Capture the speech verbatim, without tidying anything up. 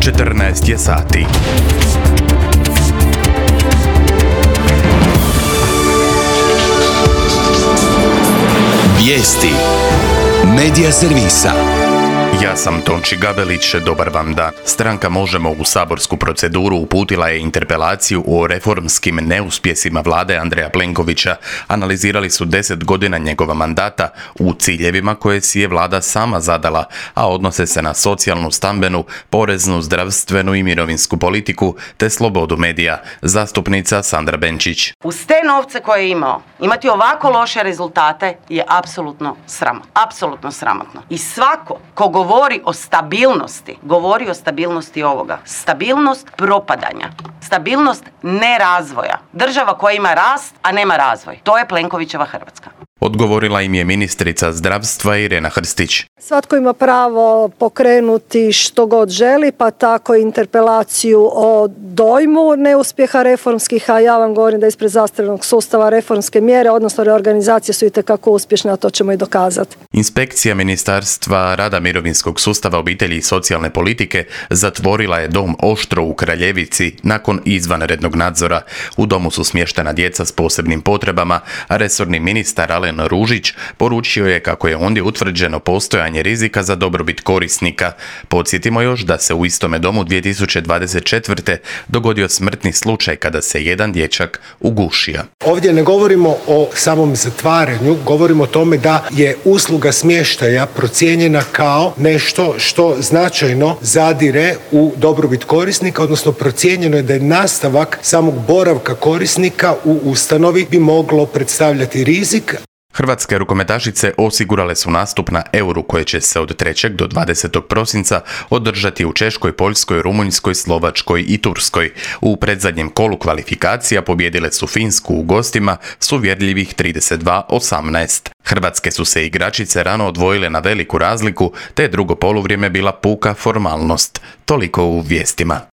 četrnaest je sati. Vijesti Medija servisa. Ja sam Tonči Gabelić, dobar vam dan. Stranka Možemo u saborsku proceduru uputila je interpelaciju o reformskim neuspjesima vlade Andreja Plenkovića. Analizirali su deset godina njegova mandata u ciljevima koje si je vlada sama zadala, a odnose se na socijalnu, stambenu, poreznu, zdravstvenu i mirovinsku politiku te slobodu medija. Zastupnica Sandra Benčić. Uz te novce koje je imao, imati ovako loše rezultate je apsolutno sramotno. Apsolutno sramotno. I svako ko govori o stabilnosti, govori o stabilnosti ovoga. Stabilnost propadanja. Stabilnost nerazvoja. Država koja ima rast, a nema razvoj. To je Plenkovićeva Hrvatska. Odgovorila im je ministrica zdravstva Irena Hrstić. Svatko ima pravo pokrenuti što god želi, pa tako interpelaciju o dojmu neuspjeha reformskih, a ja vam govorim da ispred zdravstvenog sustava reformske mjere, odnosno reorganizacije su itekako uspješne, a to ćemo i dokazati. Inspekcija Ministarstva rada, mirovinskog sustava, obitelji i socijalne politike zatvorila je dom Oštro u Kraljevici nakon izvanrednog nadzora. U domu su smještena djeca s posebnim potrebama, a resorni ministar Alen Ružić poručio je kako je ondje utvrđeno postojanje rizika za dobrobit korisnika. Podsjetimo još da se u istome domu dvije tisuće dvadeset četvrte dogodio smrtni slučaj kada se jedan dječak ugušio. Ovdje ne govorimo o samom zatvaranju, govorimo o tome da je usluga smještaja procijenjena kao nešto što značajno zadire u dobrobit korisnika, odnosno procijenjeno je da je nastavak samog boravka korisnika u ustanovi bi moglo predstavljati rizik. Hrvatske rukometašice osigurale su nastup na Euru koje će se od trećeg do dvadesetog prosinca održati u Češkoj, Poljskoj, Rumunjskoj, Slovačkoj i Turskoj. U predzadnjem kolu kvalifikacija pobijedile su Finsku u gostima s uvjerljivih trideset dva osamnaest. Hrvatske su se igračice rano odvojile na veliku razliku, te drugo poluvrijeme bila puka formalnost. Toliko u vijestima.